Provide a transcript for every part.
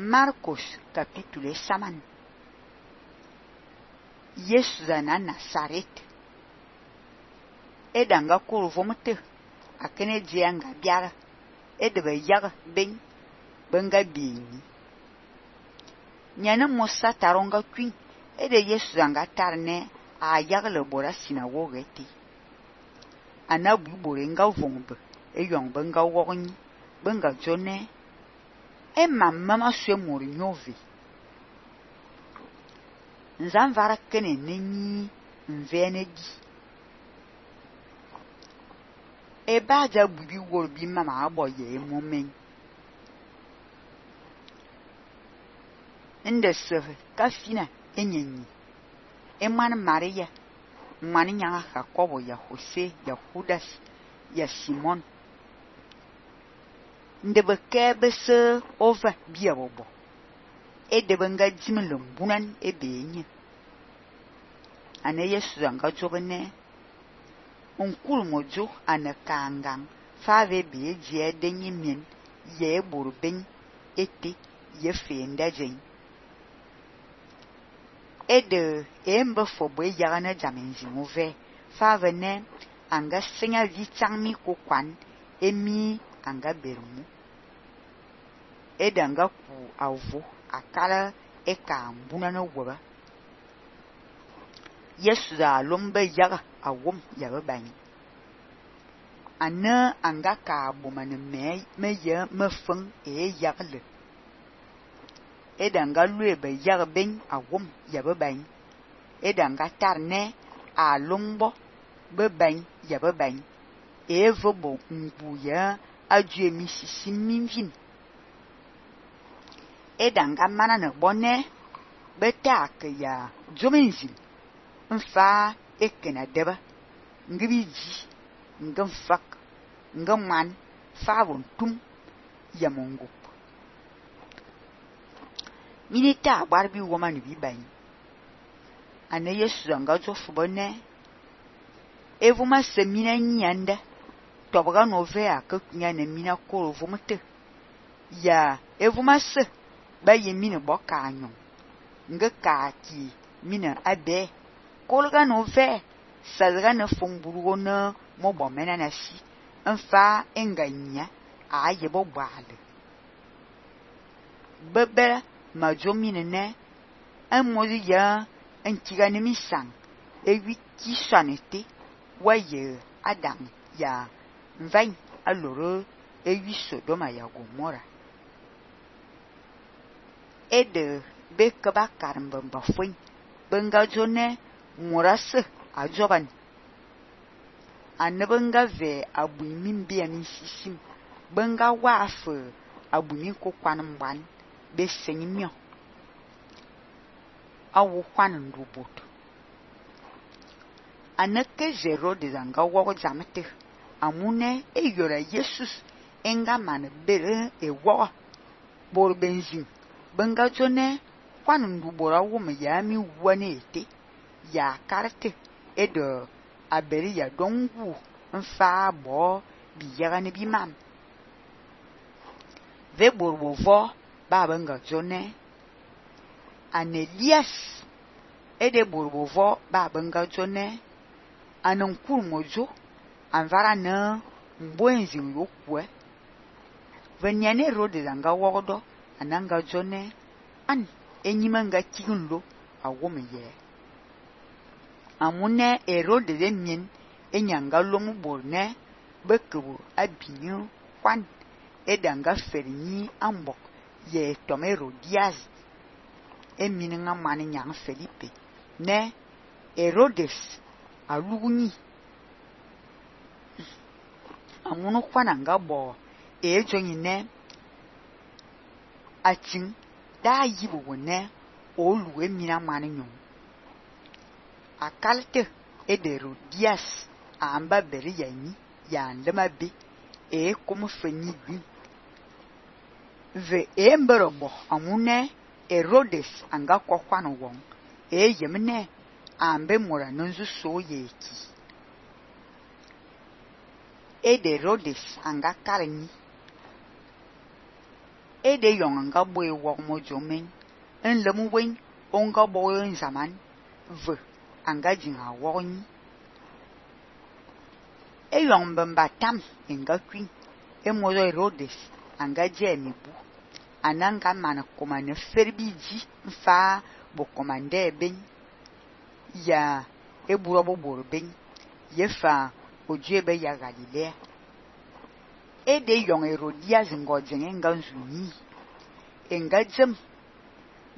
Marcos capítulo saman. Yesu na Nazaret. Edanga kuru vomte akene dianga biara edebe yaga ben benga bini. Nyana mosa taronga kwin ede Yesu zanga tarne a yaga le bora sinagogue ti. Anabu borenga vombe eyong benga wogni benga jone e mamma sue mori nyove. Nzanvara kene nenyi mvene di. E baja bubi worbi mama aboye momen. Nde seve kafina enyenyi. Eman Maria, mani nyanga Jacobo ya Jose ya Judas ya Simon. Nde bekebe se ova biya bobo. Edebe nga jimele mbunan ebenye. Ane Yesu zanga jobene. Onkul mojo ane kangang. Fave beye jie denye mien. Ye borben ete ye fenda jen. Ede embe fobo yagane jamenzi mouve. Fave ne anga senya vitangmi kokwan. Emi anga bermu. Ede anga ku avo. Akala eka mbuna no waba. Yesu da lombe yaga awom yaga bani. Ane anga ka bomane me ye me feng yaga le. Eda anga luebe yaga ben awom yaga bani. Eda anga tarne a lombo be bani yaga bani. Vobo mbu ya adue misisi mimvin. Edanga mana ne bonne beta ke ya jomenzil mfa ekena deba ngibiji ngimfak ngman favon tum ya mongup minita barbi woman bi bani ane Yesu anga jofu bonne evuma semina nyanda tobaga nove akakunya ne mina koro vomete ya evuma se ba ye mine boka anyon nge kaki mine abe kolga no ve sadga ne fomburu na mo bomena na si mfa enganya a ye bo bale bebe majomine ne amodi ya antiga ne misang ewiki sanete waye adam ya mvain aloro ewi Sodoma ya Gomora. Ede beke bakar mbamba fwen benga jone morase ajoban ane benga ve abuni mbia nsisim benga wafe abuni kokwan mban be senyimyo awu kwan ndubot ane ke zero de zanga wogo jamete amune eyora Jesus enga man bere ewo bor benzin benga jone kwan ndubora wo me ya mi wane ete ya karte edo aberi ya dongu mfa bo bi yaga ne bi mam ve borbovo ba benga jone Anelias ede borbovo ba benga jone anonkul mojo anvara na mbwenzi yokwe venyane rode zanga wodo ananga jone an enyimanga kigunlo awomeye amune erode de mien enyanga lomu borne bekebu abinyo kwan edanga ferinyi ambok ye tomero diaz emininga mani nyang Felipe ne Herodes alugni amunu kwananga bo ejonyi ne atin da yibu ne olu emina mani nyon akalte edero dias amba beri yanyi ya ndema be komu fenyi bi ve emberobo amune Herodes anga kokwano won yemne ambe mora nonzu soyeki ede Herodes anga karenyi de yong nga boe wok mo jomen en lem wen onga boe en zaman ve anga jinga woni yong bamba tam nga kwin mo Herodes anga jemi bu ananga mana komane ferbiji mfa bo komande ben ya eburo bo borben yefa ojebe ya Galilea de yong Herodias ngojen nga nzuni nga jem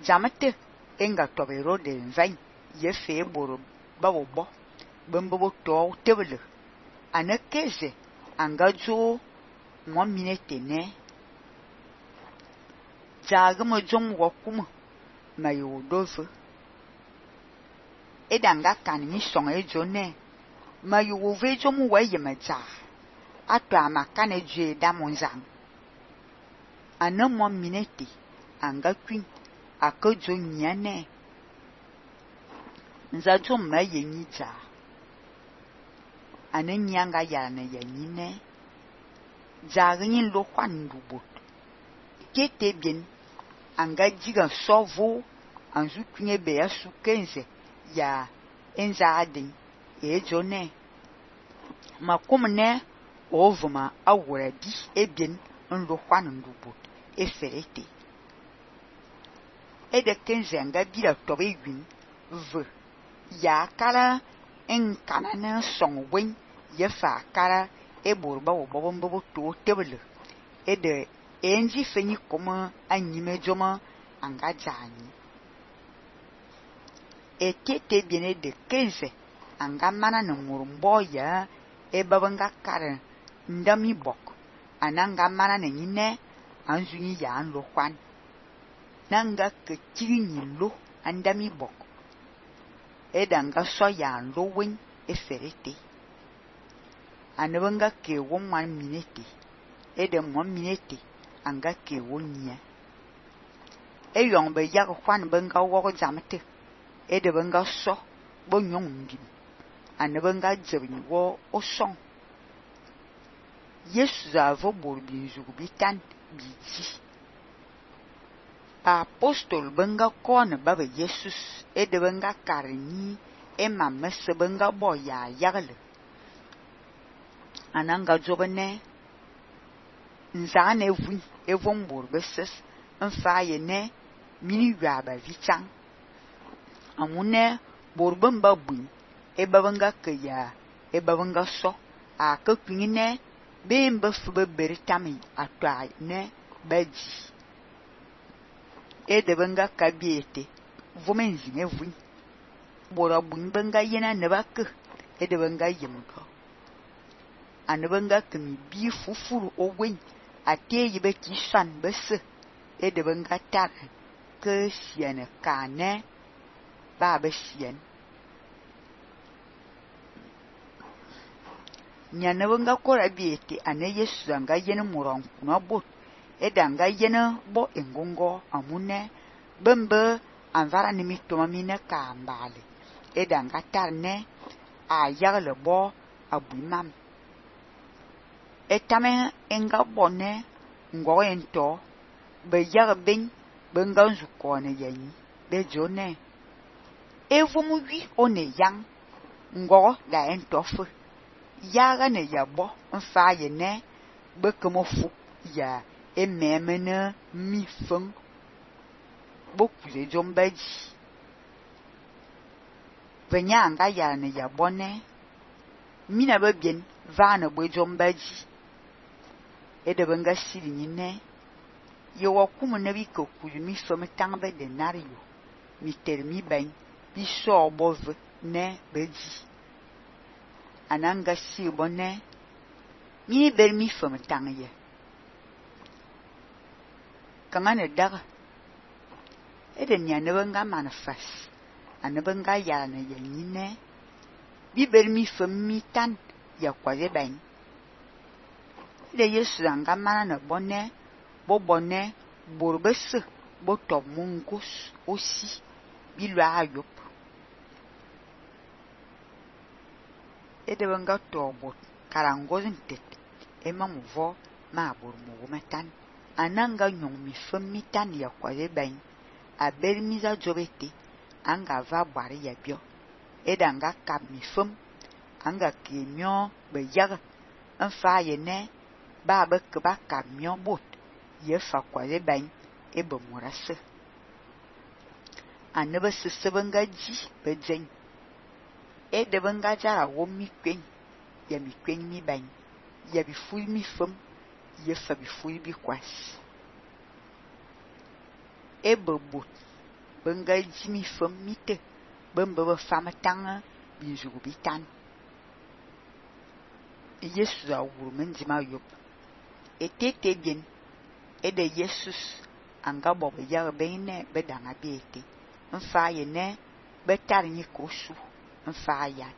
jamate nga to Herodes vain yefe boro babo bo bembo to tebele anakeze anga jo mo minete ne jaga mo jom wokum mayo dove edanga kan ni song ejone mayo wo ve jom wa yemaja ato amakane je da monzang anamo minete anga kwin akojo nyane nza jom ma yenyi ja ananyanga yana yanyine jaga yin lo kwan dubot kete bien anga jiga sovo anzu kwinye be ya sukenze ya enza adin jone makomne ovuma awuradi ebien nlo kwan dubot eferete de kenze anga bila tobe gwin ve ya kara en kanana song wen yefa kara eborba obombo to tebele de enji fenyi koma anyime joma anga jani ekete biene de kenze anga mana na murumbo ya ebabanga kara ndami bok ananga mana na nyine anzunyi ya anlo kwan nanga ke chini lo andami bok edanga so ya lo wen eferete anabanga ke wonwan minete ede mo minete anga ke wonya yong be ya kwan banga wo jamete ede banga so bo nyong ndim anabanga jebni wo osong yesu avo borbi zugubitan biji apostol banga kon baba Jesus ede banga karni emma se banga boya yagle ananga jobane nzane vu evon borbeses mfaye ne mini yaba vichang amune borbamba bu ebabanga kaya ebabanga so akakwine bemba fuba beritami atwa ne baji ede banga kabiete vomenzi ne vu bora bu banga yena ne bak ede banga yimko anabanga kemi bi fufuru owen ate yibe kisan bese ede banga tar ke siene kane ba be sien nyane banga kora biete ane yesu anga yene muron kuna bot edanga yene bo engongo amune bembe anvara ni mitoma mine ka mbale edanga tarne a yagle bo abumam etame enga bonne ngo ento be yarben benga nzukone yanyi be jone evumu wi one yang ngo da entofu yaga ne yabo mfa ye ne bekemofu ya ememene mi feng bokule jombaji venya anga ya ne yabone mina babien vana bo jombaji ede benga siri nyine yo wakumu na bi kokulu mi femme tangbe de nario mi termi ben bi so bove ne beji ananga si bonne mi ber mi femme tangye kangane daga ede nyane benga manifest anabenga ya na nyine bi ber mi femme mi tan ya kwaje ben de yesu anga mana na bonne bo bonne borbes bo to mungos aussi bi lo ayop ede banga to bot karangozin tet ema muvo ma bor mu metan ananga nyong mi fem mi tan ya kwale ben a ber mi za jobete anga va bware ya bio edanga kap mi fem anga ke myo be yag fa ye ne ba be ke ba kap myo bot ye fa kwale ben e be morase anebe se benga ji be jen e de benga jara wo mi kwen ya mi kwen mi ben ya bi ful mi fem ye fa bi ful bi kwas e be bot benga ji mi fem mi te bembe be fam tang bi jugu bi tan Yesu a wuru menji ma yop etete bien de Jesus anga bob ya ben ne be danga bi ete mfa ye ne be tar ni kosu mfa ya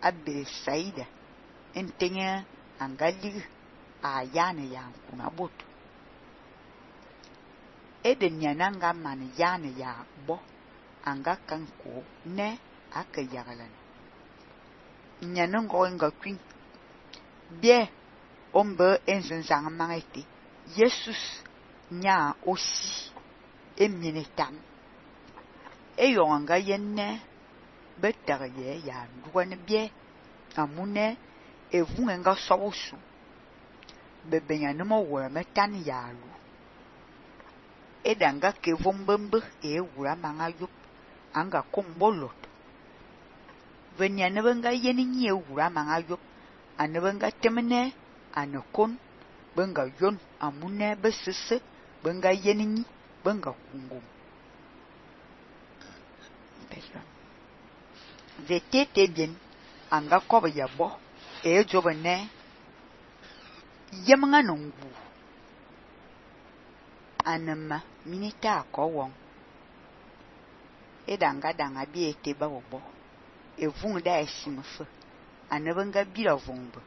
abbe saida entenya anga lig a ya ne ya kuna bot de nyananga man ya ne ya bo anga kanko ne aka yagalan nyanango nga kwin bien ombe enzenzang mangete Jesus nya aussi eminetam eyonga yenne betar ye ya duane bien amune evunga sobusu bebenya no wo metan ya lu edanga ke vombembe e wura manga yup anga kombolot venya ne benga yeni nye wura manga yup anebenga temene anokon benga yon amune besese benga yeni benga kungum vetete bien anga koba yabo e jobene yemanga nongu anama minita ko won edanga danga bi ete ba wobo evun da esimfe anebenga bira vongbe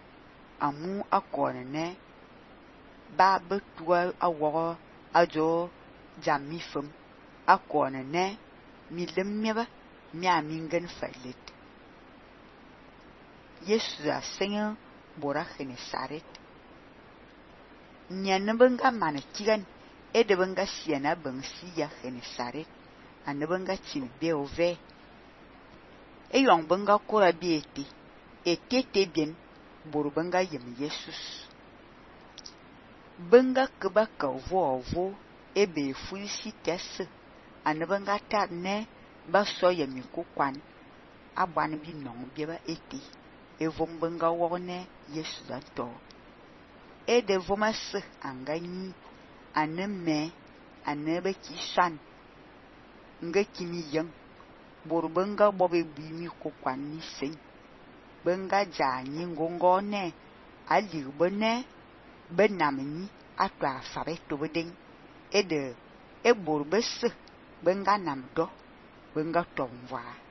amu akone ne ba betua awo ajo jammi fem akone ne mi lemmeba mi amingen falet Yesu a senya bora khene saret nyanbenga mane kigan edebenga siana bangsi ya khene saret anebenga chin be ove eyong benga kora bieti etete bien borubenga yem Jesus benga kebaka vovo ebe fulisi tesse anebenga tar ne ba so yemi kokwan abwan bi non bieba eti evon benga wone Jesus ato ede vomas angani aneme anebe kisan nga kimi yang borubenga bobe bimi kokwan ni sen benga jani ngongone ali bone benamni atwa fabe to bedeng ede e borbes benga namdo benga tomwa